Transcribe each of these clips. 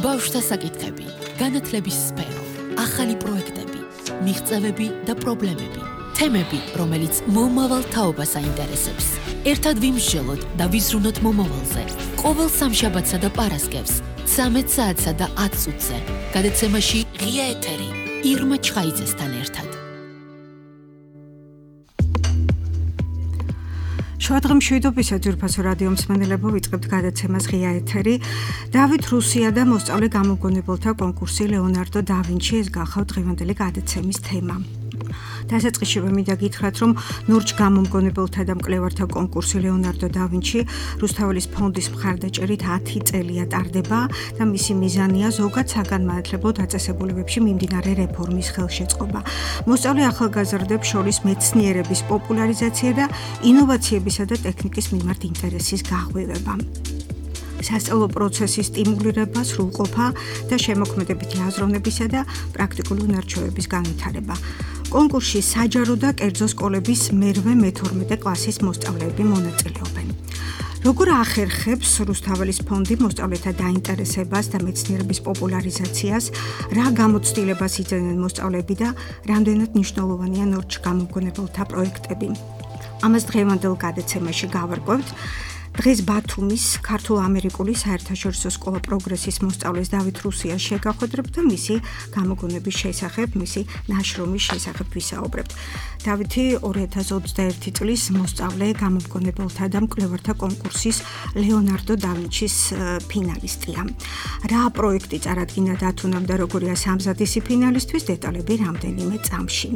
ბავშვთა საკითხები, განათლების სფერო, ახალი პროექტები, მიღწევები და პრობლემები, თემები, რომელიც მომავალ თაობას აინტერესებს. ერთად ვიმსჯელოთ და ვიზრუნოთ მომავალზე. ყოველ სამშაბათსა და პარასკევს, 13 საათსა და 10 წუთზე. გადაცემაში ღია ეთერი, ირმა ჩხაიძესთან ერთად. შუადღე მშვიდობისა ძვირფასო რადიო მსმენელებო, ვიწყებთ გადაცემას ღია ეთერი. დავით რუსია და მოსწავლე გამომგონებელთა კონკურსი ლეონარდო და ვინჩი, ეს გახავთ დღევანდელი გადაცემის თემა. დასაწყისშივე მინდა გითხრათ, რომ ნურჯ გამომგონებელთა და მკვლევართა კონკურსი ლეონარდო და ვინჩი რუსთაველის ფონდის მხარდაჭერით 10 წელია ტარდება და მისი მიზანია ზოგად საგანმანათლებლო დაწესებულებებში მიმდინარე რეფორმის ხელშეწყობა. მოსწავლე ახალგაზრდებს შორის მეცნიერების პოპულარიზაცია და ინოვაციებისა და ტექნიკის მიმართ ინტერესის გაღვივება. სასწავლო პროცესის სტიმულირება, სრულყოფა და შემოქმედებითი აზროვნებისა და პრაქტიკული უნარჩვევების განვითარება. კონკურსში საჯარო და კერძო სკოლების მე-12 კლასის მოსწავლეები მონაწილეობენ. როგორ ახერხებს რუსთაველის ფონდი მოსწავლეთა დაინტერესებას და მეცნიერების პოპულარიზაციას, რა გამოცდილებას იძენენ მოსწავლეები და რამდენად მნიშვნელოვანია ნორჩ გამომგონებელთა პროექტები. ამას დღევანდელ გადაცემაში გავარკვევთ. დღეს ბათუმის ქართულ-ამერიკული საერთაშორისო სკოლა პროგრესის მოსწავლეს დავით რუსიას შეგახვედრებთ და მისი გამოგონების შესახებ, მისი ნაშრომის შესახებ ვისაუბრებთ. დავითი 2021 წლის მოსწავლე გამომგონებელთა და მკვლევართა კონკურსის ლეონარდო და ვინჩის ფინალისტია. რა პროექტი წარადგინა დათუნამ და როგორია სამზადისი ფინალისტვის, დეტალები რამდენიმე წამში.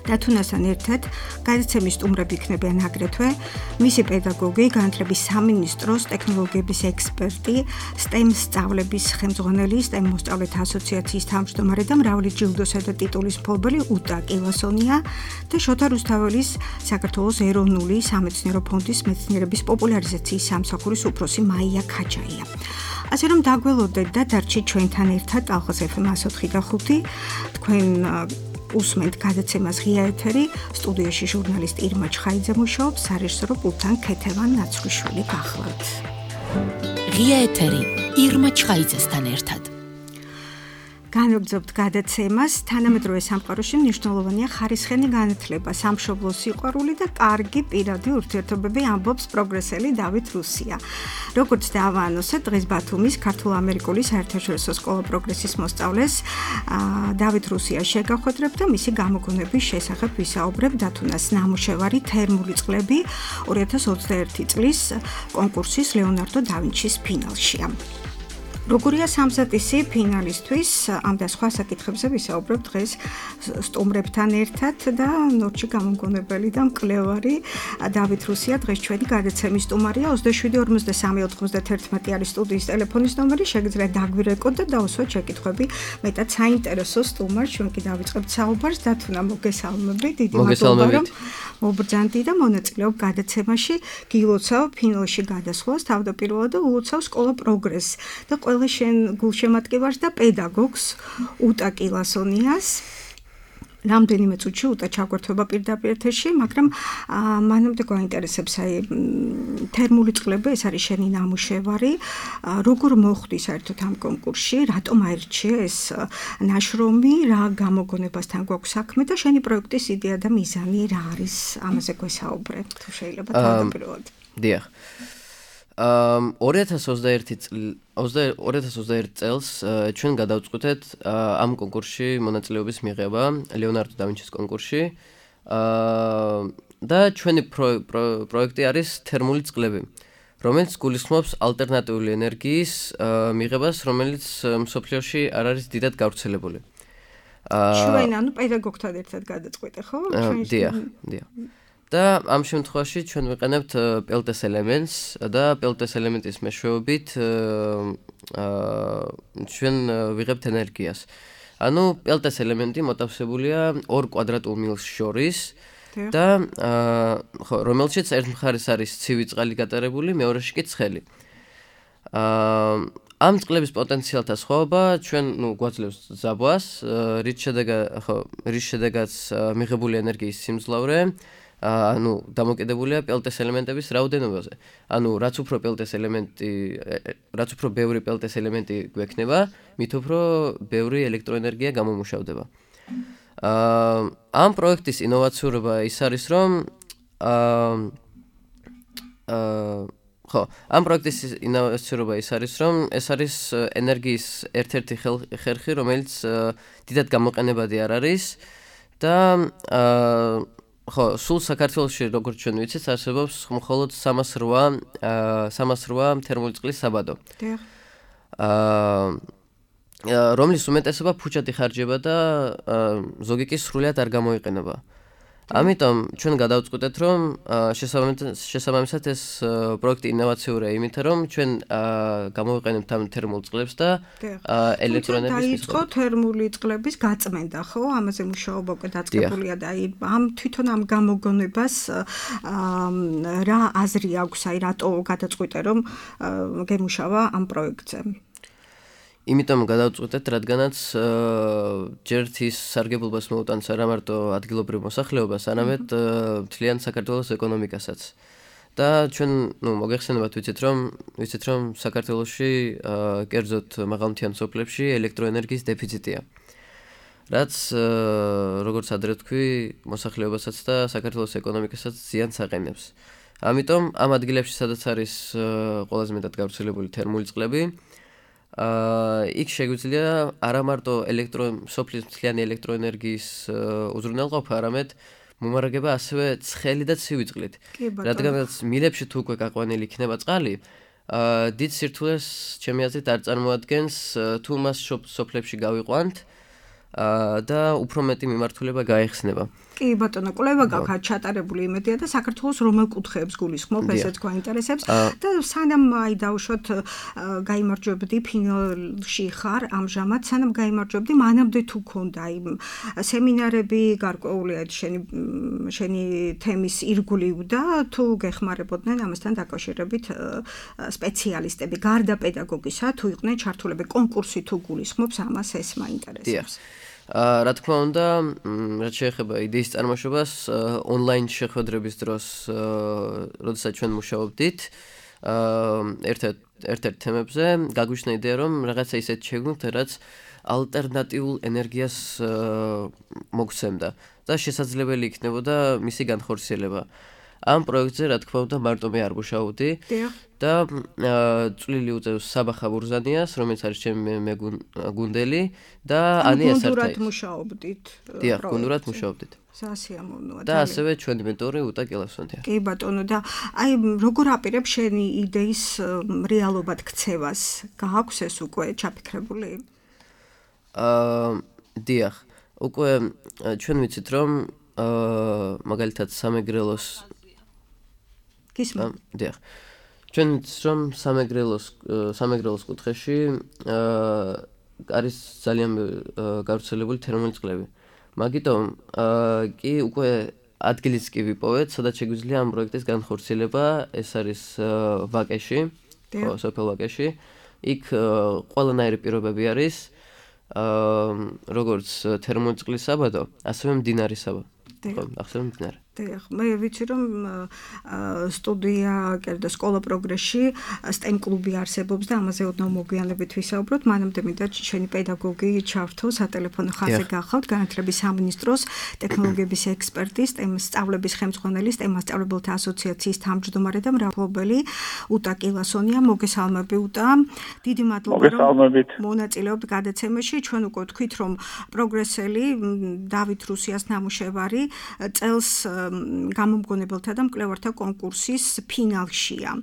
დათუნასთან ერთად გადაცემის სტუმრები იქნებიან აგრეთვე მისი პედაგოგი, განათლების სამინისტროს ტექნოლოგიების ექსპერტი, STEM სწავლების ხელმძღვანელი, STEM მოსწავლეთა ასოციაციის თავმჯდომარე და მრავალი ჯილდოსა და ტიტულის მფლობელი უტა კილასონია და შოთა რუსთაველის საქართველოს ეროვნული სამეცნიერო ფონდის მეცნიერების პოპულარიზაციის სამსახურის უფროსი მაია ქაჯაია. ასე რომ დაგველოდეთ და დარჩით ჩვენთან ერთად ალხას FM 104.5 თქვენ უსმენთ გადაცემას ღია ეთერი, სტუდიაში ჟურნალისტი ირმა ჩხაიძე მუშაობს, სარეჟისორო პულტთან ქეთევან ნაცრუშვილი გახლავთ. ღია ეთერი, ირმა ჩხაიძესთან ერთად. განვაგრძობთ გადაცემას. თანამედროვე სამყაროში მნიშვნელოვანია ხარისხენი განათლება, სამშობლოს სიყვარული და კარგი პირადი ურთიერთობები, ამბობს პროგრესელი დავით რუსია. როგორც დავაანონსეთ, დღეს ბათუმის ქართულ-ამერიკული საერთაშორისო სკოლა პროგრესის მოსწავლეს დავით რუსიას შეგახვედრებთ და მისი გამოგონების შესახებ ვისაუბრებთ. დათუნას ნამუშევარი თერმული წყლები 2021 წლის კონკურსის ლეონარდო და ვინჩის ფინალშია. როგორია სამზადისი ფინალისტვის, ამ და სხვა საკითხებზე ვისაუბრებთ დღეს სტუმრებთან ერთად და ნორჩი გამომგონებელი და მკვლევარი დავით რუსია დღეს ჩვენი გადაცემის სტუმარია. 27 43 91 არის სტუდიის ტელეფონის ნომერი, შეგიძლიათ დაგვირეკოთ და დაუსვათ შეკითხვები. მეტად საინტერესო სტუმარს ჩვენ კი დავიწყებთ საუბარს. დათუნა, მოგესალმებით, დიდი მადლობა რომ მობრძანდი და მონაწილეობ გადაცემაში. გილოცავ ფინალში გადასვლას თავდაპირველად და ულოცავ სკოლა პროგრესს და ყველა შენ გულშემატკივარს და პედაგოგს უტა კილასონიას. რამდენიმე წუთში უტა ჩაგვერთვება პირდაპირ ეთერში, მაგრამ მანამდე გვაინტერესებს თერმული წყლები, ეს არის შენი ნამუშევარი. როგორ მოხვდი საერთოდ ამ კონკურსში, რატომ აირჩიე ეს ნაშრომი, რა გამოგონებასთან გვაქვს საქმე და შენი პროექტის იდეა და მიზანი რა არის? ამაზე გვესაუბრე, თუ შეიძლება თავდაპირველად. დიახ. 2021 წელს ჩვენ გადავწყვიტეთ ამ კონკურსში მონაწილეობის მიღება, ლეონარდო და ვინჩის კონკურსში. და ჩვენი პროექტი არის თერმული წყლები, რომელიც გულისხმობს ალტერნატიული ენერგიის მიღებას, რომელიც მსოფლიოში არ არის დიდად გავრცელებული. ჩვენ ანუ პედაგოგთან ერთად გადაწყვეტე, ხო? დიახ. და ამ შემთხვევაში ჩვენ ვიყენებთ პელტეს ელემენტს და პელტეს ელემენტის მეშვეობით ჩვენ ვიღებთ ენერგიას. ანუ პელტეს ელემენტი მოთავსებულია ორ კვადრატულ მილს შორის და რომელშიც ერთ მხარეს არის ცივი წყალი გატარებული, მეორეში კი ცხელი. ამ წყლების პოტენციალთა სხვაობა ჩვენ გვაძლევს ზაბვას, რის შედეგადაც მიღებული ენერგიის სიმძლავრე ანუ დამოკიდებულია პელტეს ელემენტების რაოდენობაზე. ანუ რაც უფრო ბევრი პელტეს ელემენტი გვექნება, მით უფრო ბევრი ელექტროენერგია გამომუშავდება. ამ პროექტის ინოვაციურობა ის არის, რომ ამ პროექტის ინოვაციურობა ის არის, რომ ეს არის ენერგიის ერთ-ერთი ხერხი, რომელიც დიდად გამოყენებადი არ არის და სულ საქართველოში, როგორც ჩვენ ვიცით, არსებობს მხოლოდ 308 თერმული წყლის საბადო. რომლის უმეტესობა ფუჭად იხარჯება და ზოგი კი სრულად არ გამოიყენება. ამიტომ ჩვენ გადავწყვიტეთ, რომ შესაბამისად ეს პროექტი ინოვაციურია, იმიტომ რომ ჩვენ გამოვიყენებთ ამ თერმულ წყლებს და ელექტროენერგიის დაიწყო თერმული წყლების გაწმენდა, ხო? ამაზე მუშაობა უკვე დაწყებულია და ამ თვითონ ამ გამოგონებას რა აზრი აქვს, რატო გადაწყვიტე, რომ გემუშავა ამ პროექტზე? იმიტომ გადავწყვეტეთ, რადგანაც ჯერ ის სარგებლობას მოუტანს არა მარტო ადგილობრივ მოსახლეობას, არამედ მთლიან საქართველოს ეკონომიკასაც. და ჩვენ, მოგეხსენებათ, ვიცით რომ საქართველოში კერძოდ მაღალმთიან სოფლებში ელექტროენერგიის დეფიციტია. რაც როგორც ადრე ვთქვი, მოსახლეობასაც და საქართველოს ეკონომიკასაც ზიანს აყენებს. ამიტომ ამ ადგილებში, სადაც არის ყველაზე მეტად გავრცელებული თერმული წყლები, იქ შეგვიძლია არა მარტო სოფლის მთლიანი ელექტროენერგიის უზრუნველყოფა, არამედ მომარაგება ასევე ცხელი და ცივი წყლით. რადგანაც მილებში თუ უკვე გაყვანილი იქნება წყალი, დიდ სირთულეს ჩემი აზრით არ წარმოადგენს თუ მას სოფლებში გავიყვანთ და უფრო მეტი მიმართულება გაეხსნება. კი ბატონო, კვლევა გაქვთ ჩატარებული იმედია და საქართველოს რომელ კუთხეებს გულისხმობ, ესეც გვაინტერესებს და სანამ დაუშვათ გაიმარჯვებდი ფინალში ხარ ამჟამად, სანამ გაიმარჯვებდი, მანამდე თუ ქონდა იმ სემინარები გარკვეული შენი თემის ირგვლივ და თუ გეხმარებოდნენ ამასთან დაკავშირებით სპეციალისტები, გარდა პედაგოგისა, თუ იყვნენ ჩართულები კონკურსი თუ გულისხმობს, ამას ეს მაინტერესებს. რა თქმა უნდა, რაც შეეხება იდეის წარმოშობას, ონლაინ შეხვედრების დროს, როდესაც ჩვენ მუშაობდით, ერთ-ერთ თემებზე, გაგვიშნა იდეა, რომ რაღაცა ისეთ შევქმნით, რაც ალტერნატიულ ენერგიას მოგცემდა და შესაძლებელი იქნებოდა მისი განხორციელება. ამ პროექტზე, რა თქმა უნდა, მარტო მე არ მუშაობდი და წვლილი უწევს საბახა ბურზანიას, რომელიც არის ჩემი მეგუნდელი და ანია სარტაი. გუნდურად მუშაობდით. დიახ, გუნდურად მუშაობდით. სასიამოვნოა. და ასევე ჩვენი მენტორი უტა კილასონია. კი ბატონო, და აი როგორ აპირებ შენი იდეის რეალობად ქცევას? გააქვს ეს უკვე ჩაფიქრებული? დიახ, უკვე ჩვენ ვიცით, რომ მაგალითად სამეგრელოს გისმენთ. დიახ. ჩვენ რომ სამეგრელოს კუთხეში არის ძალიან გავრცელებული თერმული წყლები. მაგიტომ კი უკვე ადგილიც კი ვიპოვეთ, სადაც შეგვიძლია ამ პროექტის განხორციელება, ეს არის ვაკეში, სოფელ ვაკეში. იქ ყველანაირი პირობები არის, როგორც თერმული წყლის საბადო, ასევე მდინარის საბადო. ახსენე მდინარე. დიახ, მე ვიცი რომ სტუდია და სკოლა პროგრესში STEM კლუბი არსებობს და ამაზე ოდნავ მოგვიანებით ვისაუბროთ. მანამდე მინდა შენი პედაგოგი ჩართო სატელეფონო ხაზზე გახავთ, განათლების სამინისტროს ტექნოლოგიების ექსპერტი, STEM სწავლების ხელმძღვანელი, STEM მასწავლებელთა ასოციაციის თავმჯდომარე და მრავალობელი უტა კილასონია. მოგესალმები უტა. დიდი მადლობა რომ მონაწილეობთ გადაცემაში. ჩვენ უკვე ვთქვით რომ პროგრესელი დავით რუსიას ნამუშევარი წელს გამომგონებელთა და მკვლევართა კონკურსის ფინალშია.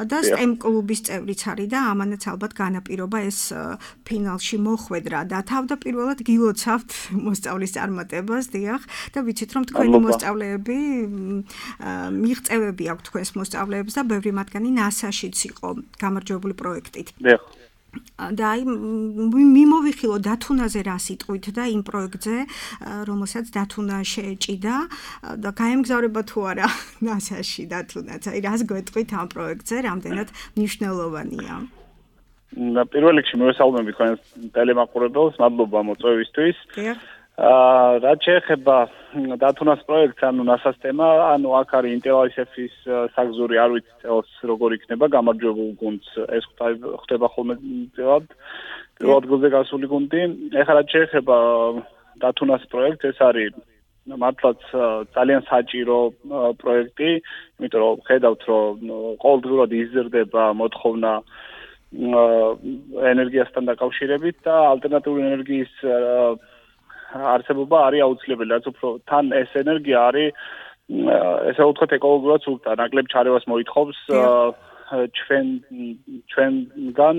და STEM კლუბის წევრიც არის და ამანაც ალბათ განაპირობა ეს ფინალში მოხვედრა და თავდაპირველად გილოცავთ მოსწავლის წარმატებას, დიახ, და ვიცით რომ თქვენი მოსწავლეები მიღწევები აქვთ თქვენს მოსწავლეებს და ბევრი მათგანი NASA-შიც იყო გამარჯვებული პროექტით. დიახ. და აი მიმოვიხილო დათუნაზე რა სიტყვით და იმ პროექტზე, რომელსაც დათუნა შეეჭიდა და გაემგზავრება თუ არა NASA-ში დათუნაც. აი რას გვეტყვით ამ პროექტზე, რამდენად მნიშვნელოვანია? პირველ რიგში მოვესალმები თქვენს ტელემაყურებელს, მადლობა მოწვევისთვის. რაც შეეხება დათუნას პროექტს, ანუ NASA-ს თემა, ანუ აქ არის ინტელაისეფის საგზური, არ ვიცი წელს როგორ იქნება გამარჯვებულ გუნდს, ეს ხდება ხოლმე პირველად ადგილზე გასული გუნდი. ეხლა რაც შეეხება დათუნას პროექტს, ეს არის მართლაც ძალიან საჭირო პროექტი, იმიტომ რომ ხედავთ, რომ ყოველდღურად იზრდება მოთხოვნა ენერგიასთან დაკავშირებით და ალტერნატიული ენერგიის არსებობა არის აუცილებელი, რაც უფრო თან ეს ენერგია არის ესე ვთქვათ ეკოლოგიურად სულთა, ნაკლებ ჩარევას მოითხოვს ჩვენგან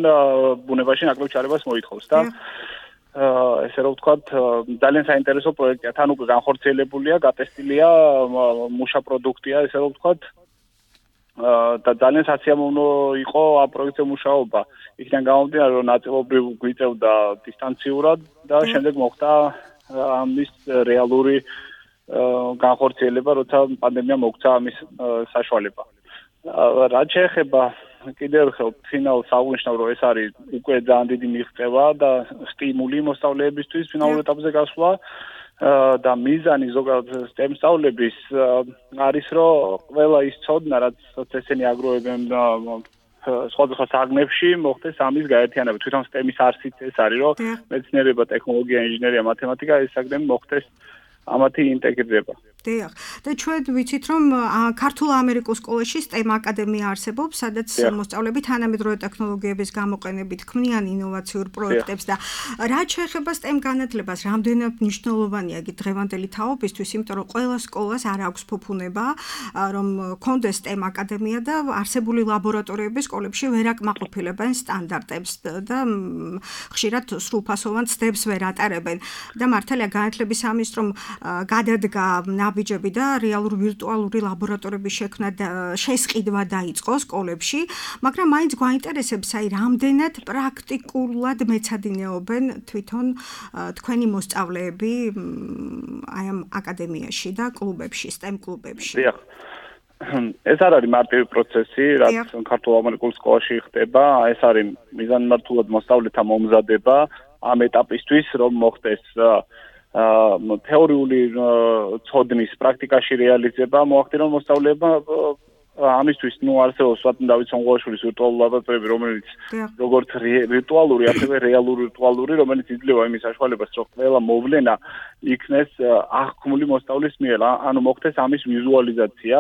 ბუნებაში ნაკლებ ჩარევას მოითხოვს და ესე რომ ვთქვათ ძალიან საინტერესო პროექტია, თან უკვე განხორციელებულია, გატესტილია, მუშა პროდუქტია, ესე რომ ვთქვათ და ძალიან სასიამოვნო იყო ამ პროექტზე მუშაობა. იქიდან გამომდინარე, რომ ნაწილობრივ გვიწევდა დისტანციურად და შემდეგ მოხდა ამის რეალური განხორციელება, როცა პანდემია მოგვცა ამის საშუალება. რაც შეეხება კიდევ ერთხელ ფინალს აღვნიშნავ, რომ ეს არის უკვე ძალიან დიდი მიღწევა და სტიმული მოსწავლეებისთვის ფინალურ ეტაპზე გასვლა და მიზანი ზოგადად STEM სწავლების არის, რომ ყველა ის ცოდნა, რაც ესენი აგროვებენ სხვადასხვა საგნებში, მოხდეს ამის გაერთიანება. თვითონ STEM-ის არსიც ეს არის, რომ მეცნიერება, ტექნოლოგია, ინჟინერია, მათემატიკა ეს საგნები მოხდეს ამათი ინტეგრირება. დიახ. და ჩვენ ვიცით, რომ ქართულ-ამერიკულ სკოლაში STEM აკადემია არსებობს, სადაც მოსწავლეები თანამედროვე ტექნოლოგიების გამოყენებით ქმნიან ინოვაციურ პროექტებს და რაც შეეხება STEM განათლებას, რამდენად მნიშვნელოვანია იგი დღევანდელი თაობისთვის, იმიტომ რომ ყველა სკოლას არ აქვს ფუფუნება, რომ კონდეს STEM აკადემია და არსებული ლაბორატორიები სკოლებში ვერ აკმაყოფილებენ სტანდარტებს და ხშირად სრულფასოვან ცდებს ვერ ატარებენ. და მართალია განათლების სამინისტრომ გადადგა ნაბიჯები და რეალური ვირტუალური ლაბორატორიების შექმნა შესყიდვა დაიწყო სკოლებში, მაგრამ მაინც გვაინტერესებს, აი რამდენად პრაქტიკულად მეცადინეობენ თვითონ თქვენი მოსწავლეები აი ამ აკადემიაში და კლუბებში, STEM კლუბებში. დიახ. ეს არ არის მარტივი პროცესი, რაც ქართულ-ამერიკულ სკოლაში ხდება, ეს არის მიზანმიმართულად მოსწავლეთა მომზადება ამ ეტაპისთვის, რომ მოხდეს თეორიული ცოდნის პრაქტიკაში რეალიზება, მოახდინონ მოსწავლეებმა ამისთვის არსებობს დავით სონღოაშვილის ვირტუალური ლაბორატორიები, რომელიც როგორც ვირტუალური, ასევე რეალური ვირტუალური, რომელიც იძლევა იმის საშუალებას, რომ ყველა მოვლენა იქნეს აღქმული მოსწავლის მიერ, ანუ მოხდეს ამის ვიზუალიზაცია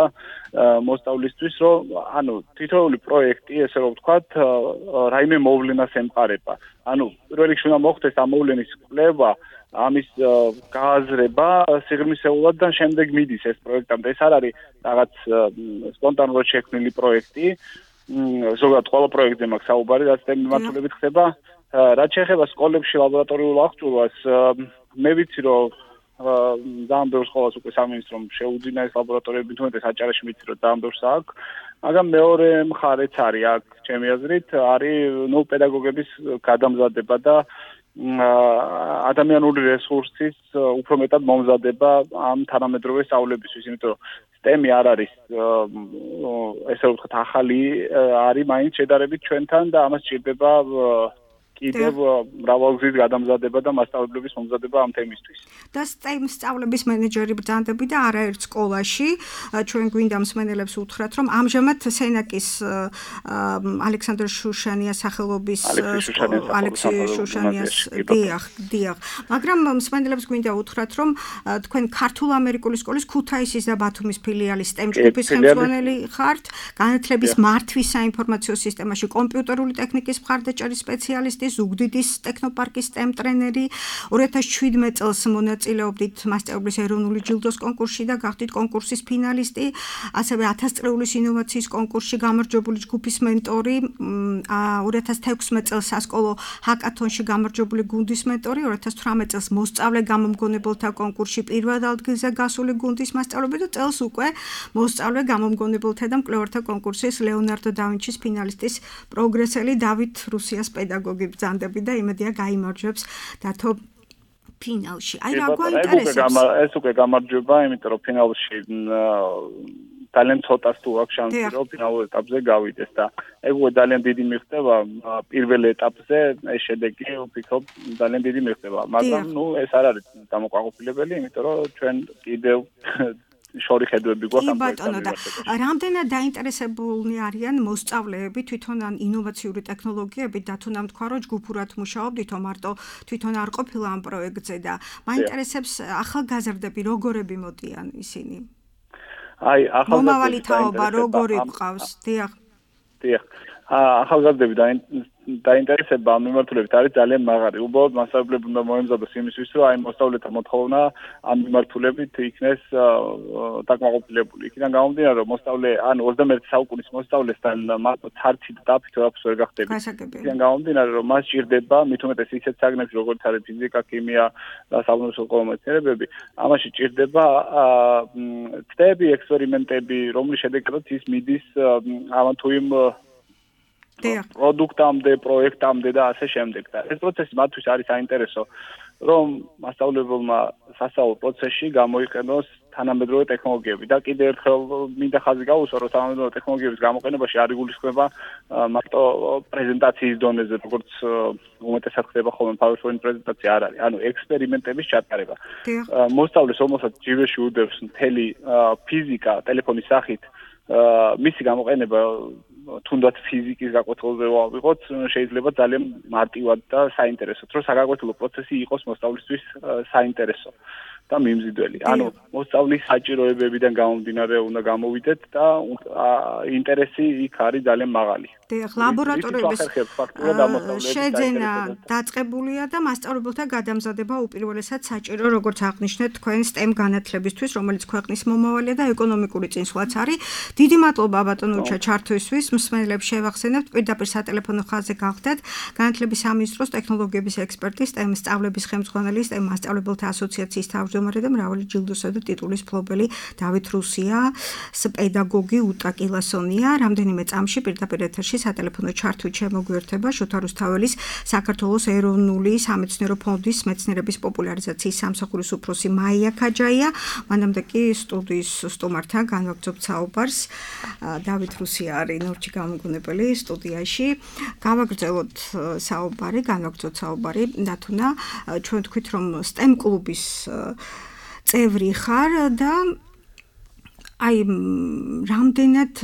მოსწავლისთვის, რომ ანუ თითოეული პროექტი, ესე რომ ვთქვათ, რაიმე მოვლენას ემყარება. ანუ პირველ რიგში უნდა მოხდეს ამ მოვლენის კვლევა, ამის გააზრება სიღრმისეულად და შემდეგ მიდის ეს პროექტამდე. ეს არ არის რაღაც სპონტანურად შექმნილი პროექტი. ზოგადად ყველა პროექტზე მაქვს საუბარი, რაც STEM მიმართულებით ხდება. რაც შეეხება სკოლებში ლაბორატორიულ აღჭურვას, მე ვიცი, რომ ძალიან ბევრ სკოლას უკვე სამინისტრომ შეუძინა ეს ლაბორატორიები, თუმცა საჭარაში ვიცი, რომ ძალიან ბევრს აქვს. მაგრამ მეორე მხარეც არის აქ, ჩემი აზრით, არის პედაგოგების გადამზადება და ადამიანური რესურსის უფრო მეტად მომზადება ამ თანამედროვე სწავლებისთვის, იმიტომ რომ STEM-ი არ არის ესე ვთქვათ ახალი, არის მაინც შედარებით ჩვენთან და ამას სჭირდება კიდევ მრავალგზის გადამზადება და მასშტაბების მომზადება ამ თემისთვის. და STEM სწავლების მენეჯერი ბრძანდები და არაერთ სკოლაში ჩვენ გვინდა მსმენელებს უთხრათ, რომ ამჟამად სენაკის ალექსანდრ შუშანიას სახელობის ალექსი შუშანიას დიახ. მაგრამ მსმენელებს გვინდა უთხრათ, რომ თქვენ ქართულ-ამერიკული სკოლის ქუთაისის და ბათუმის ფილიალის STEM ჯგუფის ხელმძღვანელი ხართ, განათლების მართვის საინფორმაციო სისტემაში კომპიუტერული ტექნიკის მხარდაჭერის სპეციალისტი, ზუგდიდის ტექნოპარკის STEM ტრენერი, 2017 წელს მონაწილეობდით მასწავლებლის ეროვნული ჯილდოს კონკურსში და გახდით კონკურსის ფინალისტი, ასევე 1000 წრეულის ინოვაციის კონკურსში გამარჯვებული ჯგუფის მენტორი, 2016 წელს სასკოლო ჰაკათონში გამარჯვებული გუნდის მენტორი, 2018 წელს მოსწავლე გამომგონებელთა კონკურსში პირველ ადგილზე გასული გუნდის მასწავლებელი და წელს უკვე მოსწავლე გამომგონებელთა და მკვლევართა კონკურსის ლეონარდო და ვინჩის ფინალისტის პროგრესელი დავით რუსიას პედაგოგი ბრძანდები და იმედია გაიმარჯვებს დათო ფინალში. აი რა გვაინტერესებს? ეს უკვე გამარჯვება, იმიტომ რომ ფინალში ძალიან ცოტას თუ აქვს შანსი რომ ფინალურ ეტაპზე გავიდეს და ეგ უკვე ძალიან დიდი მიღწევა პირველ ეტაპზე ეს შედეგი ვფიქრობ ძალიან დიდი მიღწევა მაგრამ ეს არ არის დამოკმაყოფილებელი იმიტომ რომ ჩვენ კიდევ შორი ხედვები გვაქვს ამ ბატონო და რამდენად დაინტერესებულნი არიან მოსწავლეები თვითონ ან ინოვაციური ტექნოლოგიებით და თუნდაც თქვა რომ ჯგუფურად მუშაობდით მარტო თვითონ არ ყოფილა ამ პროექტზე და მაინტერესებს ახალგაზრდები როგორები მოდიან ისინი აი მომავალი თაობა როგორი გყავს დიახ ახალგაზრდები დაინტერესება ამ მიმართულებით არის ძალიან მაღალი. უბრალოდ მასწავლებლები უნდა მოემზადოს იმისთვის, რომ აი მოსწავლეთა მოთხოვნა ამ მიმართულებით იქნეს დაკმაყოფილებული. იქიდან გამომდინარე, რომ მოსწავლე ან 21 საუკუნის მოსწავლესთან მარტო თარცით დაფით ვერაფერს ვერ გახდები. იქიდან გამომდინარე, რომ მას ჭირდება მით უმეტეს ისეთ საგნებში, როგორც არის ფიზიკა, ქიმია და საბუნებისმეტყველო მეცნიერებები, ამაში ჭირდება ცდები, ექსპერიმენტები, რომლის შედეგადაც ის მიდის ამ თუ იმ პროდუქტამდე, პროექტამდე და ასე შემდეგ. და ეს პროცესი მათთვის არის საინტერესო, რომ მასწავლებელმა სასწავლო პროცესში გამოიყენოს თანამედროვე ტექნოლოგიები და კიდევ ერთხელ მინდა ხაზი გავუსვა, რომ თანამედროვე ტექნოლოგიების გამოყენებაში არ იგულისხმება მარტო პრეზენტაციის დონეზე, როგორც უმეტესად ხდება ხოლმე PowerPoint პრეზენტაცია არ არის, ანუ ექსპერიმენტების ჩატარება. მოსწავლეს რომელსაც ჯიბეში უდევს მთელი ფიზიკა ტელეფონის სახით, მისი გამოყენება თუნდაც ფიზიკის გაკვეთილზე ვიყოთ, შეიძლება ძალიან მარტივად და საინტერესოდ, რომ საგაკვეთილო პროცესი იყოს მოსწავლისთვის საინტერესო და მიმზიდველი. ანუ მოსწავლის საჭიროებებიდან გამომდინარე უნდა გამოვიდეთ და ინტერესი იქ არის ძალიან მაღალი. დიახ, ლაბორატორიების შეძენა დაწყებულია და მასწავლებელთა გადამზადება უპირველესად საჭირო, როგორც აღნიშნეთ, თქვენ STEM განათლებისთვის, რომელიც ქვეყნის მომავალია და ეკონომიკური წინსვლაც არის. დიდი მადლობა ბატონო ჩართვისთვის. მსმენელებს შევახსენებთ, პირდაპირ სატელეფონო ხაზზე გახდეთ განათლების სამინისტროს ტექნოლოგიების ექსპერტი, STEM სწავლების ხელმძღვანელი, STEM მასწავლებელთა ასოციაციის თავმჯდომარე და მრავალი ჯილდოსა და ტიტულის მფლობელი დავით რუსია, პედაგოგი უტა კილასონია. რამდენიმე წამში პირდაპირ ეთერში სატელეფონო ჩართვით შემოგვიერთება შოთა რუსთაველის საქართველოს ეროვნული სამეცნიერო ფონდის მეცნიერების პოპულარიზაციის სამსახურის უფროსი მაია ქაჯაია. მანამდე კი სტუდიის სტუმართან განვაგრძობთ საუბარს. დავით რუსია არის ნორჩი გამოგონებელი სტუდიაში. გავაგრძელოთ საუბარი, განვაგრძოთ საუბარი დათუნა. ჩვენ თქვით რომ STEM კლუბის წევრი ხარ და აი რამდენად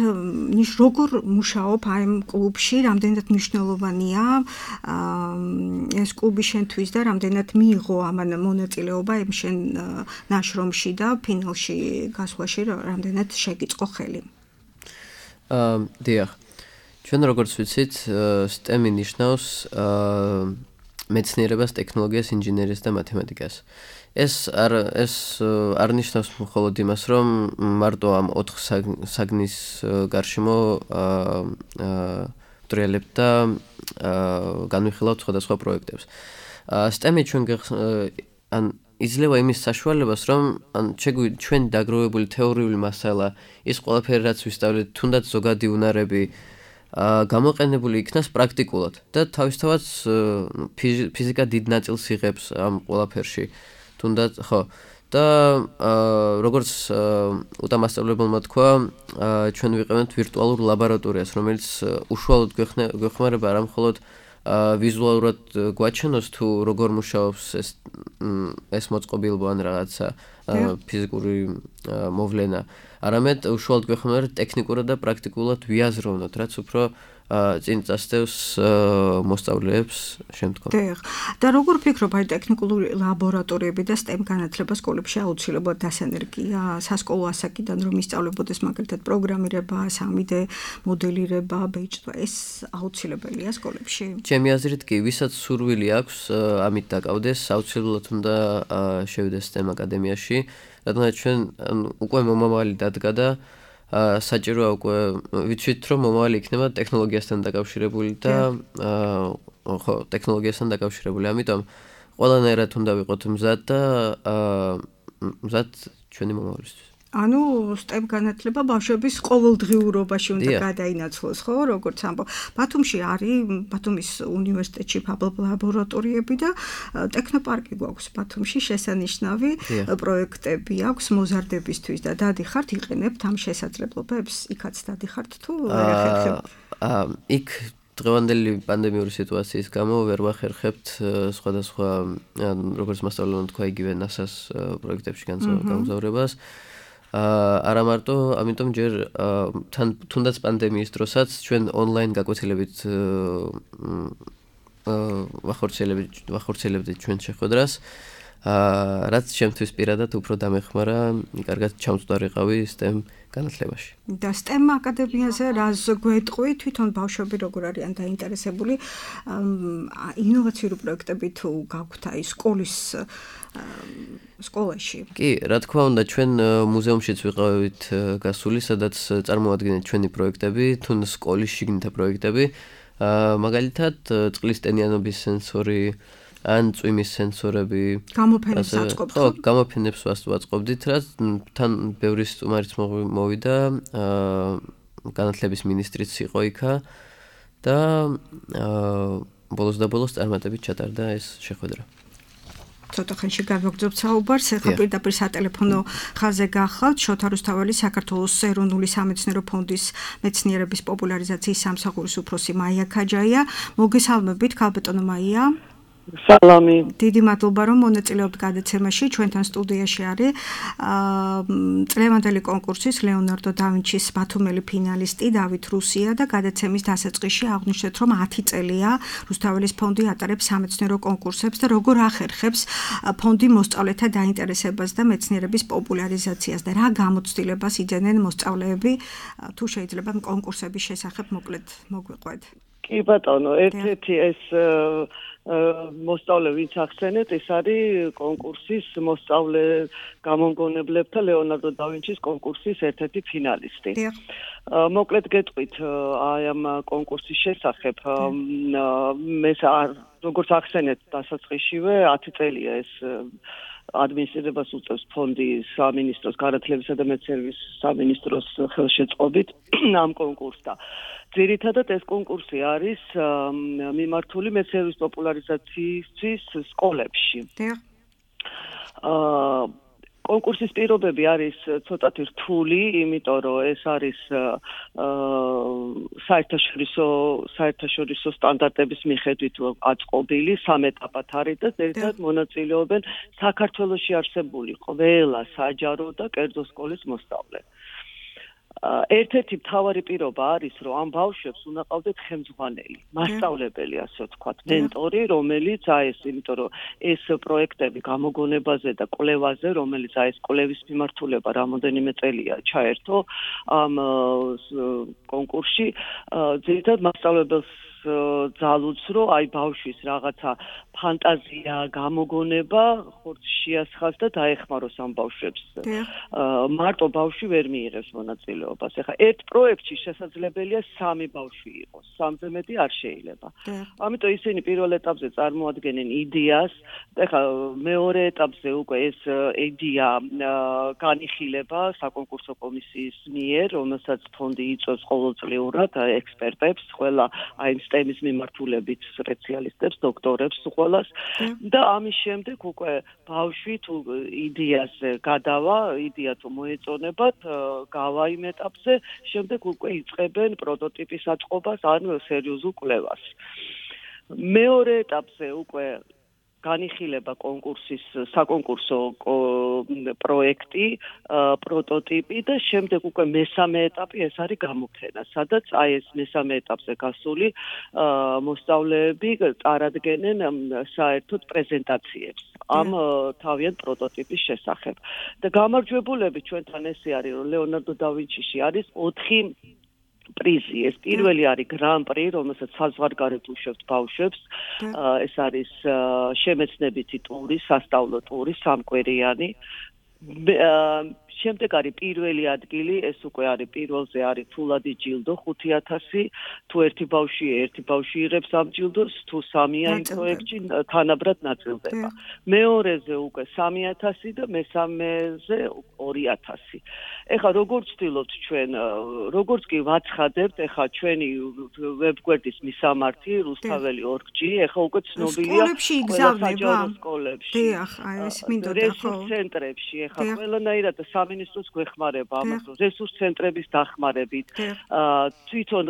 როგორ მუშაობ აი ამ კლუბში, რამდენად მნიშვნელოვანია ეს კლუბი შენთვის და რამდენად მიიღო ამან მონაწილეობა იმ შენ ნაშრომში და ფინალში გასვლაში რამდენად შეგიწყო ხელი. დიახ. ჩვენ როგორც ვიცით, STEM-ი ნიშნავს მეცნიერებას, ტექნოლოგიას, ინჟინერიას და მათემატიკას. ეს არ ნიშნავს მხოლოდ იმას, რომ მარტო ამ 4 საგნის გარშემო ვტრიალებთ და განვიხილავთ სხვადასხვა პროექტებს. STEM-ი ჩვენ ან იძლევა იმის საშუალებას, რომ ჩვენ დაგროვებული თეორიული მასალა, ის ყველაფერი რაც ვისწავლეთ, თუნდაც ზოგადი უნარები გამოყენებული იქნას პრაქტიკულად და თავისთავად ფიზიკა დიდ ნაწილს იღებს ამ ყველაფერში. თუნდაც ხო და როგორც უტამასწავლებელმა თქვა, ჩვენ ვიყენებთ ვირტუალურ ლაბორატორიას, რომელიც უშუალოდ გვეხმარება არა მხოლოდ ვიზუალურად გვაჩვენოს თუ როგორ მუშაობს ეს მოწყობილობა ან რაღაცა ფიზიკური მოვლენა, არამედ უშუალოდ გვეხმარება ტექნიკურად და პრაქტიკულად ვიაზროვნოთ, რაც უფრო წინ წასდევს მოსწავლეებს შემდგომ. დიახ. და როგორ ფიქრობ, აი ტექნიკური ლაბორატორიები და STEM განათლება სკოლებში აუცილებლად დასანერგია სასკოლო ასაკიდან რომ ისწავლებოდეს მაგალითად პროგრამირება, 3D მოდელირება, ბეჭდვა, ეს აუცილებელია სკოლებში? ჩემი აზრით კი, ვისაც სურვილი აქვს ამით დაკავდეს, აუცილებლად უნდა შევიდეს STEM აკადემიაში, რადგან ჩვენ უკვე მომავალი დადგა და საჭიროა უკვე ვიცით რომ მომავალი იქნება ტექნოლოგიასთან დაკავშირებული და ხო ტექნოლოგიასთან დაკავშირებული. ამიტომ ყველანაირად უნდა ვიყოთ მზად და მზად ჩვენი მომავლისთვის. ანუ STEM განათლება ბავშვების ყოველდღიურობაში უნდა გადაინაცვლოს, ხო, როგორც ამბობ. ბათუმში არის ბათუმის უნივერსიტეტში ფაბლობ ლაბორატორიები და ტექნოპარკი გვაქვს ბათუმში შესანიშნავი პროექტები აქვს მოზარდებისთვის და დადიხართ იყენებთ ამ შესაძლებლობებს, იქაც დადიხართ თუ ვერ ახერხებთ? იქ დღევანდელი პანდემიური სიტუაციის გამო ვერ ვახერხებთ სხვადასხვა როგორც მასწავლებლად თქვა იგივე NASA-ს პროექტებში გამგზავრებას. არა მარტო, ამიტომ ჯერ თუნდაც პანდემიის დროსაც ჩვენ ონლაინ გაკვეთილებით ვახორციელებდით ჩვენ შეხვედრას, რაც შემთთვის პირადად უფრო დამეხმარა, კარგად ჩამწვდარიყავი STEM განათლებაში. და STEM აკადემიაზე რას გვეტყვი, თვითონ ბავშვები როგორ არიან დაინტერესებული ინოვაციური პროექტები თუ გაქვთ აი სკოლაში? კი, რა თქმა უნდა, ჩვენ მუზეუმშიც ვიყავით გასული, სადაც წარმოადგენთ ჩვენი პროექტები, თუ სკოლის შიგნითა პროექტები, მაგალითად, წყლის ტენიანობის სენსორი, ან წვიმის სენსორები. გამოფენებს აწყობთ? ხო, გამოფენებს ვაწყობდით, რაც თან ბევრი სტუმარიც მოვიდა, განათლების მინისტრიც იყო იქა და ბოლოს და ბოლოს წარმატებით ჩატარდა ეს შეხვედრა. ცოტა ხანში გავაგრძობთ საუბარს, ახლა პირდაპირ სატელეფონო ხაზზე გახავთ შოთა რუსთაველი საქართველოს ეროვნული სამეცნიერო ფონდის მეცნიერების პოპულარიზაციის სამსახურის უფროსი მაია ქაჯაია. მოგესალმებით, ქალბატონო მაია. სალამი. დიდი მადლობა რომ მონაწილეობთ გადაცემაში, ჩვენთან სტუდიაში არის წლევანდელი კონკურსის ლეონარდო და ვინჩის ბათუმელი ფინალისტი დავით რუსია და გადაცემის დასაწყისში აღვნიშნეთ რომ 10 წელია რუსთაველის ფონდი ატარებს სამეცნიერო კონკურსებს და როგორ ახერხებს ფონდი მოსწავლეთა დაინტერესებას და მეცნიერების პოპულარიზაციას და რა გამოცდილებას იძენენ მოსწავლეები თუ შეიძლება კონკურსების შესახებ მოკლედ მოგვიყვეთ. კი ბატონო, ერთ-ერთი ეს მოსწავლე ვინც ახსენეთ, ეს არის კონკურსის მოსწავლე გამომგონებლებთა ლეონარდო და ვინჩის კონკურსის ერთ-ერთი ფინალისტი. მოკლედ გეტყვით აი ამ კონკურსის შესახებ, მე როგორც ახსენეთ დასაწყისშივე 10 წელია ეს ადმინისტრირებას უწევს ფონდი სამინისტროს განათლებისა და მეცნიერების სამინისტროს ხელშეწყობით ამ კონკურსს და ძირითადად ეს კონკურსი არის მიმართული მეცნიერების პოპულარიზაციისთვის სკოლებში. კონკურსის პირობები არის ცოტათი რთული, იმიტომ რომ ეს არის საერთაშორისო სტანდარტების მიხედვით აწყობილი 3 ეტაპად არის და ძირითადად მონაწილეობენ საქართველოში არსებული ყველა საჯარო და კერძო სკოლის მოსწავლე. ერთ-ერთი მთავარი პირობა არის, რომ ამ ბავშვებს უნდა ყავდეთ ხელმძღვანელი, მასწავლებელი, ასე ვთქვათ, მენტორი, რომელიც ეს, იმიტომ რომ ეს პროექტები გამოგონებაზე და კვლევაზე, რომელიც ეს კვლევის მიმართულება რამოდენიმე წელია ჩაერთო ამ კონკურსში, ძირითადად მასწავლებელს ძალუძს, რომ აი ბავშვის რაღაცა ფანტაზია, გამოგონება ხორცს შეასხას და დაეხმაროს ამ ბავშვებს. მარტო ბავშვი ვერ მიიღებს მონაწილეობას. ეხლა ერთ პროექტში შესაძლებელია 3 ბავშვი იყოს, 3-ზე მეტი არ შეიძლება. ამიტომ ისინი პირველ ეტაპზე წარმოადგენენ იდეას, ეხლა მეორე ეტაპზე უკვე ეს იდეა განიხილება საკონკურსო კომისიის მიერ, რომელსაც ფონდი იწვევს ყოველწლიურად ექსპერტებს, ყველა აი STEM-ის მიმართულებით სპეციალისტებს, დოქტორებს ყველას და ამის შემდეგ უკვე ბავშვი თუ იდეას გადავა, იდეა თუ მოეწონებათ, გავა იმ ეტაპზე, შემდეგ უკვე იწყებენ პროტოტიპის აწყობას ან სერიოზულ კვლევას. მეორე ეტაპზე უკვე განიხილება კონკურსის საკონკურსო პროექტი, პროტოტიპი და შემდეგ უკვე მესამე ეტაპი ეს არის გამოფენა, სადაც აი ეს მესამე ეტაპზე გასული მოსწავლეები წარადგენენ საერთოდ პრეზენტაციებს ამ თავიანთ პროტოტიპის შესახებ. და გამარჯვებულები ჩვენთან ესე არის, რომ ლეონარდო და ვინჩიში არის 4 პრიზი. ეს პირველი არის გრან-პრი, რომელსაც საზღვარგარეთ უშვებთ ბავშვებს. ეს არის შემეცნებითი ტური, სასწავლო ტური, 3 კვირიანი. შემდეგ არის პირველი ადგილი, ეს უკვე არის პირველზე არის ფულადი ჯილდო 5000, თუ ერთი ბავშვი იღებს ამ ჯილდოს, თუ სამია იმ პროექტში თანაბრად ნაწილდება. მეორეზე უკვე 3000 და მესამეზე 2000. ეხლა როგორც ვცდილობთ ჩვენ, როგორც კი ვაცხადებთ, ეხლა ჩვენი ვებგვერდის მისამართი რუსთაველი org.g, ეხლა უკვე ცნობილია სკოლებში სკოლებში. დიახ, ეს მინდოდა ხო. რესურს ცენტრებში, ეხლა ყველანაირად სამინისტროს გვეხმარება ამას, რესურს ცენტრების დახმარებით. თვითონ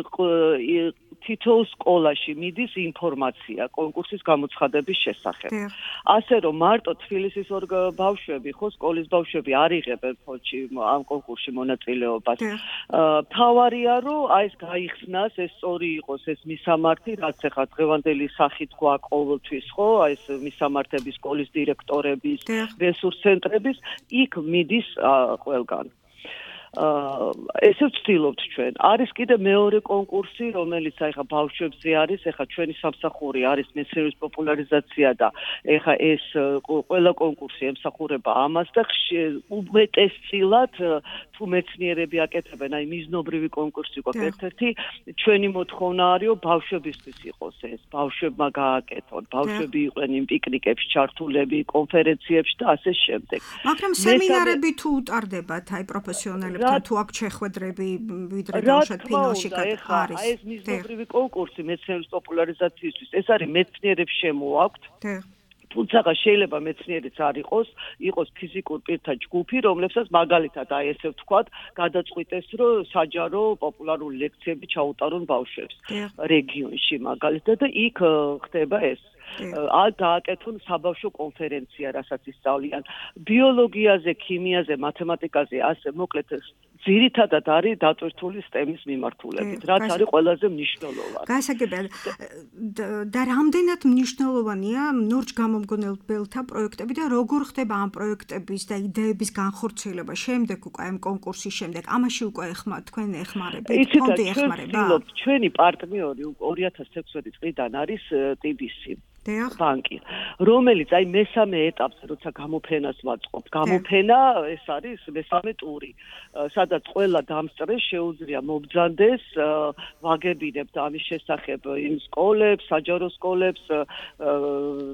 თითოეულ სკოლაში მიდის ინფორმაცია კონკურსის გამოცხადების შესახებ. ასე რომ მარტო თბილისის ბავშვები, ხო, სკოლის ბავშვები არ იღებენ ფონდში ამ კონკურსში მონაწილეობას. თავარია რომ აი ეს გაიხსნას, ეს სწორი იყოს ეს მისამართი, რაც ახლა დღევანდელი სახით გვაქვს ყოველთვის, ხო, აი ეს მისამართების, სკოლის დირექტორების, რესურს ცენტრების, იქ მიდის ყველგან. ესე ვცდილობთ ჩვენ. არის კიდე მეორე კონკურსი, რომელიც ახლა ბავშვებზე არის, ახლა ჩვენი სამსახური არის მეცნიერების პოპულარიზაცია და ახლა ეს ყველა კონკურსი ემსახურება ამას და უმეტესწილად თუ მეცნიერები აკეთებენ, აი მიზნობრივი კონკურსი გვაქვს ერთ-ერთი, ჩვენი მოთხოვნა არის, რომ ბავშვებისთვის იყოს ეს, ბავშვებმა გააკეთონ, ბავშვები იყვნენ იმ პიკნიკებში ჩართულები, კონფერენციებში და ასე შემდეგ. მაგრამ სემინარები თუ უტარდებათ, აი პროფესიონალები თუ აქ შეხვედრები ვიდრე დავუშვათ ფინალში არის. აი ეს მიზნობრივი კონკურსი მეცნიერების პოპულარიზაციისთვის, ეს არის მეცნიერებს შემოაქვთ. თუმცა შეიძლება მეცნიერიც არ იყოს ფიზიკურ პირთა ჯგუფი, რომლებსაც მაგალითად აი ესე ვთქვათ, გადაწყვიტეს, რომ საჯარო პოპულარული ლექციები ჩაუტარონ ბავშვებს რეგიონში მაგალითად და იქ ხდება ეს. გააკეთონ საბავშვო კონფერენცია, რასაც ისწავლიან ბიოლოგიაზე, ქიმიაზე, მათემატიკაზე, ასე მოკლედ ძირითადად არის დატვირთული STEM-ის მიმართულებით, რაც არის ყველაზე მნიშვნელოვანი. გასაგებია და რამდენად მნიშვნელოვანია ნორჩ გამომგონებელთა პროექტები და როგორ ხდება ამ პროექტების და იდეების განხორციელება შემდეგ უკვე ამ კონკურსის შემდეგ, ამაში უკვე თქვენ ეხმარებით, ფონდი ეხმარება? ჩვენი პარტნიორი 2016 წლიდან არის TBC. ბანკი, რომელიც აი მესამე ეტაპზე, როცა გამოფენას ვაწყობთ, გამოფენა ეს არის მესამე ტური, სადაც ყველა დამსწრეს შეუძლია მობრძანდეს, ვაგებინებთ ამის შესახებ იმ სკოლებს, საჯარო სკოლებს,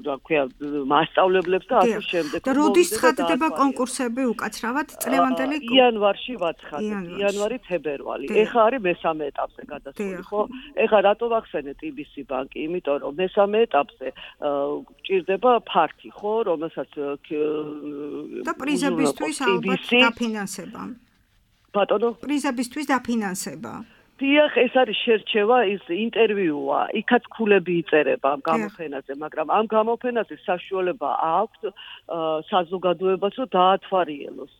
რა ქვია, მასწავლებლებს და ასე შემდეგ. და როდის ცხადდება კონკურსები უკაცრავად წლევანდელი? იანვარში ვაცხადებთ, იანვარი-თებერვალი. ეხლა არის მესამე ეტაპზე გადასული, ხო? ეხლა რატო ვახსენე TBC ბანკი? იმიტომ რომ მესამე ეტაპზე ჭირდება ფარქი, ხო, რომელსაც და პრიზებისთვის ალბათ დაფინანსება. ბატონო, პრიზებისთვის დაფინანსება. დიახ, ეს არის შერჩევა, ის ინტერვიუა, იქაც ქულები იწერება ამ გამოფენაზე, მაგრამ ამ გამოფენაზე საშუალება აქვს საზოგადოებას, რომ დაათვალიეროს.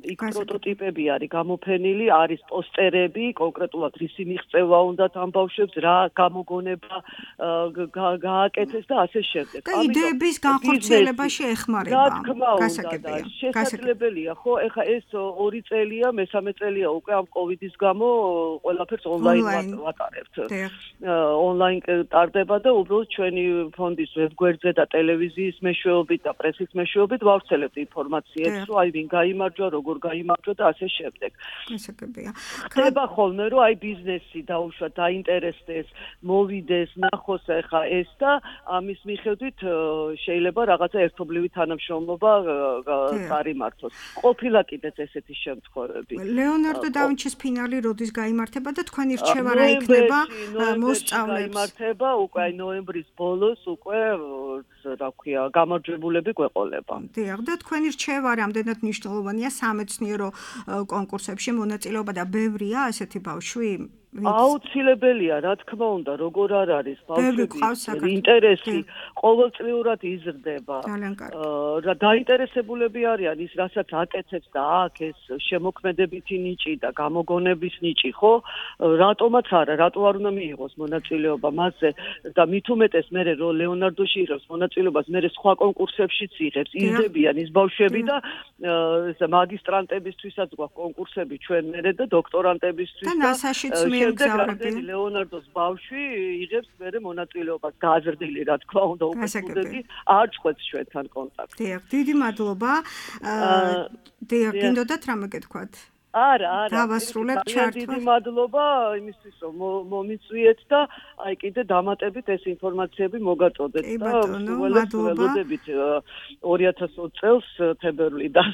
იქ პროტოტიპები არის გამოფენილი, არის პოსტერები, კონკრეტულად რისი მიღწევა უნდათ ამ ბავშვებს, რა გამოგონება გააკეთეს და ასე შემდეგ. და იდეების განხორციელებაში ეხმარება. რა თქმა უნდა, შესაძლებელია, ხო? ეხლა ეს 2 წელია, მესამე წელია უკვე ამ კოვიდის გამო ყველაფერს ონლაინ ვატარებთ. ონლაინ ტარდება და უბრალოდ ჩვენი ფონდის ვებგვერდზე და ტელევიზიის მეშვეობით და პრესის მეშვეობით ვავრცელებთ ინფორმაციებს, რომ აი ვინ გაიმარჯვა, როგორ გაიმარჯვა და ასე შემდეგ. გასაგებია. ხდება ხოლმე, რომ აი ბიზნესი დაუშვა, დაინტერესდეს, მოვიდეს, ნახოს ახლა ეს და ამის მიხედვით შეიძლება რაღაცა ერთობლივი თანამშრომლობა წარიმართოს. ყოფილა კიდეც ესეთი შემთხვევები. ლეონარდო და ვინჩის ფინალი როდის გაიმართება და თქვენი რჩევა რა იქნება მოსწავლებს? გაიმართება უკვე აი ნოემბრის ბოლოს უკვე რა ქვია, გამარჯვებულები გვეყოლება. დიახ, და თქვენი რჩევა რამდენად მნიშვნელოვანია სამეცნიერო კონკურსებში მონაწილეობა და ბევრია ასეთი ბავშვი? აუცილებელია, რა თქმა უნდა, როგორ არ არის ბავშვების ინტერესი ყოველწლიურად იზრდება. რა დაინტერესებულები არიან ის, რასაც აკეთებს და აქ ეს შემოქმედებითი ნიჭი და გამოგონების ნიჭი, ხო? რატომაც არა, რატო არ უნდა მიიღოს მონაწილეობა მასზე და მით უმეტეს მე რომ ლეონარდოში იღებს მონაწილეობას, მე სხვა კონკურსებშიც იღებს, იზრდებიან ის ბავშვები და მაგისტრანტებისთვისაც გვაქვს კონკურსები ჩვენ მერე და დოქტორანტებისთვის და NASA-შიც მიემგზავრებიან. ლეონარდოს ბავშვი იღებს მერე მონაწილეობას გაზრდილი, რა თქმა უნდა, უკვე სტუდენტი არ წყვეტს ჩვენთან კონტაქტს. დიახ, დიდი მადლობა. დიახ, გინდოდათ რამე გეთქვათ? არა. დავასრულებთ ჩართვა. დიდი მადლობა იმისთვის, რომ მომიწვიეთ და აი კიდე დამატებით ეს ინფორმაციები მოგაწოდეთ და ველოდებით 2020 წელს თებერვლიდან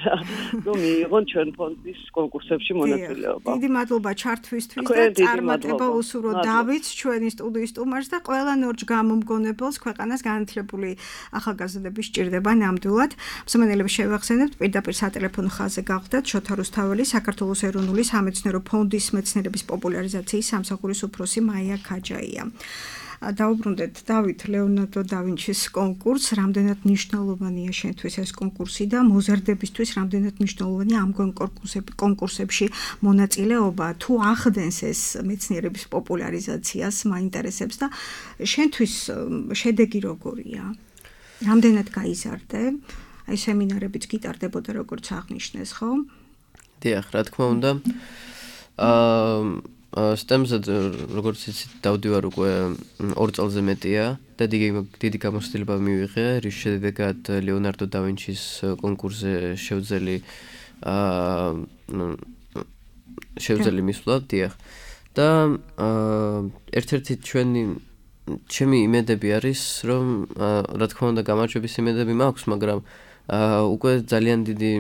რომ მიიღონ ჩვენ ფონდის კონკურსებში მონაწილეობა. დიდი მადლობა ჩართვისთვის და წარმატება უსურვოთ დავითს, ჩვენი სტუდიის სტუმარს და ყველა ნორჩ გამომგონებელს ქვეყანას განათლებული ახალგაზრდები სჭირდება ნამდვილად. მსმენელებს შევახსენებთ, პირდაპირ სატელეფონო ხაზზე გახლდათ შოთა რუსთაველი, საქართველოს ეროვნული სამეცნიერო ფონდის მეცნიერების პოპულარიზაციის სამსახურის უფროსი მაია ქაჯაია. დაუბრუნდეთ დავით ლეონარდო და ვინჩის კონკურსს, რამდენად მნიშვნელოვანია შენთვის ეს კონკურსი და მოზარდებისთვის რამდენად მნიშვნელოვანია ამგვარ კონკურსებში მონაწილეობა, თუ ახდენს ეს მეცნიერების პოპულარიზაციას, მაინტერესებს და შენთვის შედეგი როგორია? რამდენად გაიზარდე? აი სემინარებიც გიტარდებოდა როგორც აღნიშნეს, ხო? დიახ, რა თქმა უნდა. STEM-ზე როგორც იცით, დავდივარ უკვე 2 წელზე მეტია და დიდი გამოცდილება მივიღე, რის შედეგად ლეონარდო და ვინჩის კონკურსზე შევძელი მისვლა, დიახ. და ერთ-ერთი ჩემი იმედები არის, რომ რა თქმა უნდა გამარჯვების იმედები მაქვს, მაგრამ უკვე ძალიან დიდი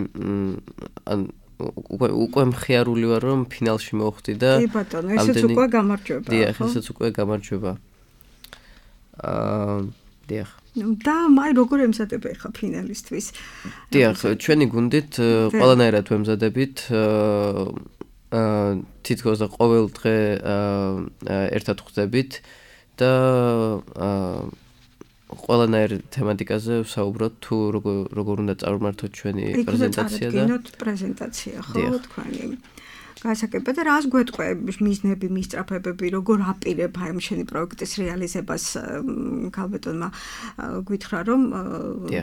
უკვე მხიარული ვარ რომ ფინალში მოვხდი და კი ბატონო, ესეც უკვე გამარჯვება. დიახ, ესეც უკვე გამარჯვება. დიახ. და მაი როგორ ემზადება ხა ფინალისტვის? დიახ, ჩვენი გუნდით ყველანაირად ვემზადებით. თითქოს და ყოველ დღე ერთად ხვდებით და ყველანაირ თემატიკაზე ვსაუბრობთ, თუ როგორ უნდა წარმართოთ ჩვენი პრეზენტაცია და პრეზენტაცია, ხო, თქვენი გასაკეთება და რას გვეტყვი მიზნები, მისწრაფებები, როგორ აპირებ აი შენი პროექტის რეალიზებას? ქალბატონმა გითხრა რომ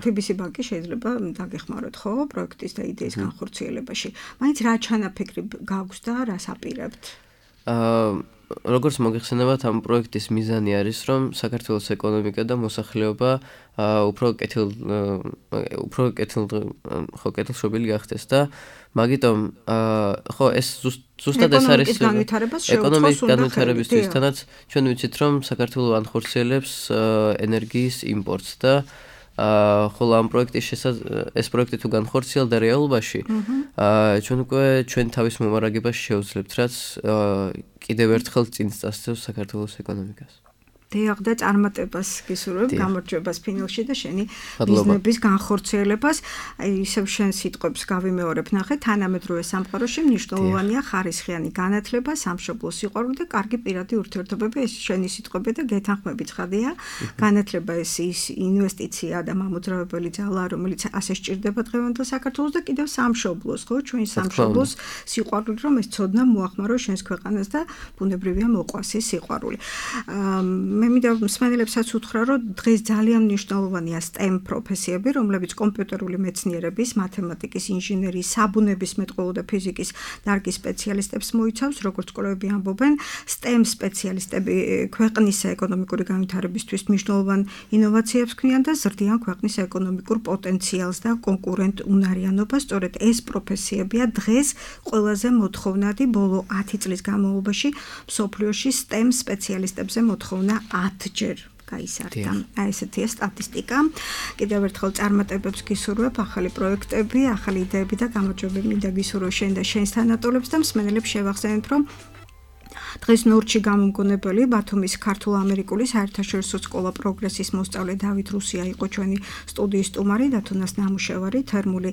TBC ბანკი შეიძლება დაგეხმაროთ, ხო, პროექტის და იდეის განხორციელებაში. მაინც რა ჩანაფიქრი გაქვს და რას აპირებთ? როგორც მოგეხსენებათ, ამ პროექტის მიზანი არის, რომ საქართველოს ეკონომიკა და მოსახლეობა უფრო კეთილშობილი გახდეს და მაგიტომ ხო ეს ზუსტად ეს არის ეკონომიკის განვითარებისთვის, თანაც ჩვენ ვიცით, რომ საქართველო ანხორციელებს ენერგიის იმპორტს და ხოლო ამ ეს პროექტი თუ განხორციელდა რეალობაში, ჩვენ უკვე ჩვენ თავის მომარაგებას შევძლებთ, რაც კიდევ ერთხელ წინ წასწევს საქართველოს ეკონომიკას. დიახ, და წარმატებას გისურვებ, გამარჯვებას ფინალში და შენი ბიზნესის განხორციელებას. აი ისევ შენ სიტყვებს გავიმეორებ, ნახე, თანამედროვე სამყაროში მნიშვნელოვანია ხარისხიანი განათლება, სამშობლოს სიყვარული და კარგი პირადი ურთიერთობები. ეს შენი სიტყვები და გეთანხმები ცხადია. განათლება ეს ინვესტიცია და მამოძრავებელი ძალა, რომელიც ასე სჭირდება დღევანდელ საქართველოს და კიდევ სამშობლოს, ხო, ჩვენი სამშობლოს სიყვარული, რომ ეს ცოდნა მოახმაროს შენს ქვეყანას და ბუნებრივია მოყვას ეს სიყვარული. მე მინდა მსმენელებსაც უთხრა, რომ დღეს ძალიან მნიშვნელოვანია STEM პროფესიები, რომლებიც კომპიუტერული მეცნიერების, მათემატიკის, ინჟინერიის, საბუნებისმეტყველო და ფიზიკის დარგის სპეციალისტებს მოიცავს, როგორც კვლევები ამბობენ, STEM სპეციალისტები ქვეყნის ეკონომიკური განვითარებისთვის მნიშვნელოვან ინოვაციებს ქმნიან და ზრდიან ქვეყნის ეკონომიკურ პოტენციალს და კონკურენტუნარიანობას. სწორედ ეს პროფესიებია დღეს ყველაზე მოთხოვნადი ბოლო 10 წლის განმავლობაში მსოფლიოში STEM სპეციალისტებზე მოთხოვნა 10-ჯერ გაიზარდა. აი ესეთია სტატისტიკა. კიდევ ერთხელ წარმატებებს გისურვებ, ახალი პროექტები, ახალი იდეები და გამარჯვებები მინდა გისურვო შენ და შენს თანატოლებს და მსმენელებს შევახსენებთ, რომ დღეს ნორჩი გამომგონებელი ბათუმის ქართულ-ამერიკული საერთაშორისო სკოლა პროგრესის მოსწავლე დავით რუსია იყო ჩვენი სტუდიის სტუმარი და თუნდაც ნამუშევარი თერმული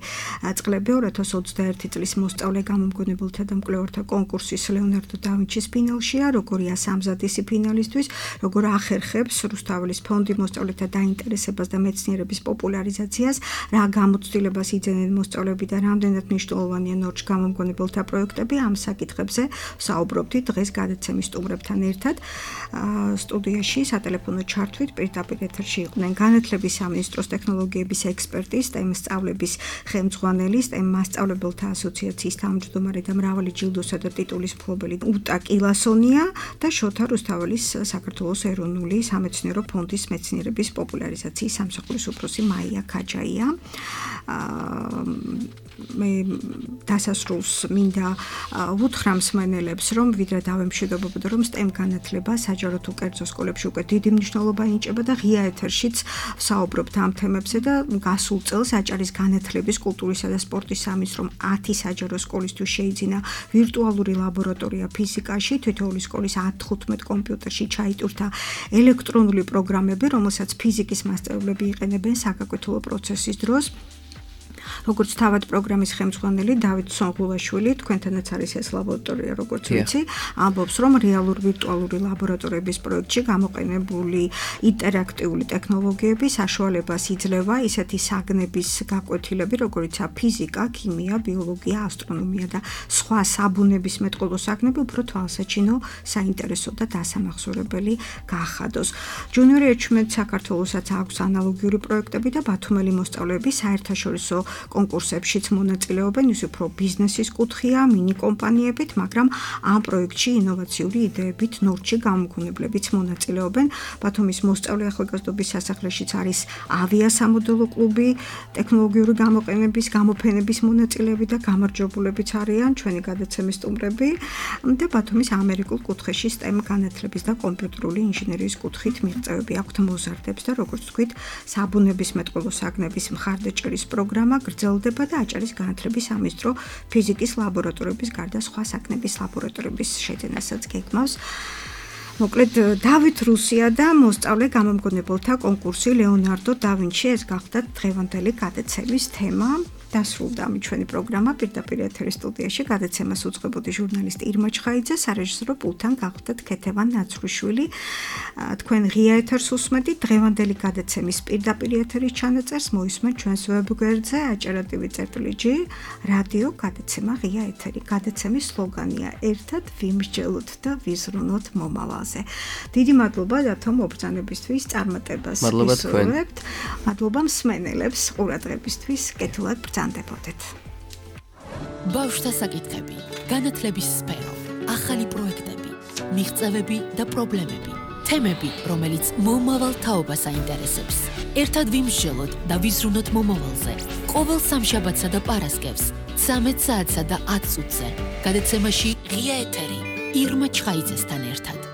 წყლები 2021 წლის მოსწავლე გამომგონებელთა და მკვლევართა კონკურსის ლეონარდო და ვინჩის ფინალშია, როგორია სამზადისი ფინალისტვის, როგორ ახერხებს რუსთაველის ფონდი მოსწავლეთა დაინტერესებას და მეცნიერების პოპულარიზაციას, რა გამოცდილებას იძენენ მოსწავლეები და რამდენად მნიშვნელოვანია ნორჩ გამომგონებელთა პროექტები, ამ საკითხებზე საუბრობდით დღეს გადაცემის სტუმრებთან ერთად. სტუდიაში სატელეფონო ჩართვით პირდაპირ ეთერში იყვნენ განათლების სამინისტროს ტექნოლოგიების ექსპერტი, STEM სწავლების ხელმძღვანელი, STEM მასწავლებელთა ასოციაციის თავმჯდომარე და მრავალი ჯილდოსა და ტიტულის მფლობელი უტა კილასონია და შოთა რუსთაველის საქართველოს ეროვნული სამეცნიერო ფონდის მეცნიერების პოპულარიზაციის სამსახურის უფროსი მაია ქაჯაია. მე დასასრულს მინდა უთხრა მსმენელებს, რომ ვიდრე დავემშვიდობებოდა, რომ STEM განათლება საჯარო თუ კერძო სკოლებში უკვე დიდი მნიშვნელობა ენიჭება და ღია ეთერშიც საუბრობთ ამ თემებზე და გასულ წელს აჭარის განათლების, კულტურისა და სპორტის სამინისტრომ 10 საჯარო სკოლისთვის შეიძინა ვირტუალური ლაბორატორია ფიზიკაში, თითოეული სკოლის 10-15 კომპიუტერში ჩაიტურთა ელექტრონული პროგრამები, რომელსაც ფიზიკის მასწავლებლები იყენებენ საგაკეთილო პროცესის დროს. როგორც თავად პროგრამის ხელმძღვანელი დავით სონღულაშვილი, თქვენთანაც არის ეს ლაბორატორია, როგორც ვიცი, ამბობს, რომ რეალურ ვირტუალური ლაბორატორიების პროექტში გამოყენებული ინტერაქტიული ტექნოლოგიები საშუალებას იძლევა ისეთი საგნების გაკვეთილები, როგორიცაა ფიზიკა, ქიმია, ბიოლოგია, ასტრონომია და სხვა საბუნების მეტყველო საგნები უფრო თვალსაჩინო, საინტერესო და დასამახსოვრებელი გაახადოს. ჯუნიორი ეჩვმედ საქართველოსაც აქვს ანალოგიური პროექტები და ბათუმელი მოსწავლეები საერთაშორისო კონკურსებშიც მონაწილეობენ, ის უფრო ბიზნესის კუთხეა, მინი კომპანიებით, მაგრამ ამ პროექტში ინოვაციური იდეებით ნორჩი გამოგონებლებიც მონაწილეობენ. ბათუმის მოსწავლე ახალგაზრდობის სასახლეშიც არის ავიასამოდელო კლუბი, ტექნოლოგიური გამოყენების, გამოფენების მონაწილეები და გამარჯვებულებიც არიან ჩვენი გადაცემის სტუმრები და ბათუმის ამერიკულ კუთხეში STEM განათლების და კომპიუტერული ინჟინერიის კუთხით მიღწევები აქვთ მოზარდებს და როგორც თქვით, საბუნების მეტყველო საგნების მხარდაჭერის პროგრამა გრძელდება და აჭარის განათლების სამინისტრო ფიზიკის ლაბორატორიების გარდა სხვა საგნების ლაბორატორიების შეძენასაც გეგმავს. მოკლედ დავით რუსია და მოსწავლე გამომგონებელთა კონკურსი ლეონარდო და ვინჩი ეს გახდათ დღევანდელი გადაცემის თემა. დასრულდა ამით ჩვენი პროგრამა პირდაპირ ეთერის სტუდიაში. გადაცემას უწყებოდი ჟურნალისტი ირმა ჩხაიძე, სარეჟისორო პულტთან გახდათ ქეთევან ნაცრუშვილი. თქვენ ღია ეთერს უსმენთ. დღევანდელი გადაცემის პირდაპირ ეთერის ჩანაწერს მოისმენთ ჩვენს ვებგვერდზე acara.tv/g რადიო გადაცემა ღია ეთერი. გადაცემის სლოგანია ერთად ვიმსჯელოთ და ვიზრუნოთ მომავალზე. დიდი მადლობა დათო მობრძანებისთვის, წარმატებას ვისურვებთ. მადლობა მსმენელებს ყურადღებისთვის, კეთილად ბრძანდებოდეთ. ბავშვთა საკითხები, განათლების სფერო, ახალი პროექტები, მიღწევები და პრობლემები, თემები, რომელიც მომავალ თაობას აინტერესებს. ერთად ვიმსჯელოთ და ვიზრუნოთ მომავალზე. ყოველ სამშაბათსა და პარასკევს 13 საათსა და 10 წუთზე. გადაცემაში ღია ეთერი ირმა ჩხაიძესთან ერთად.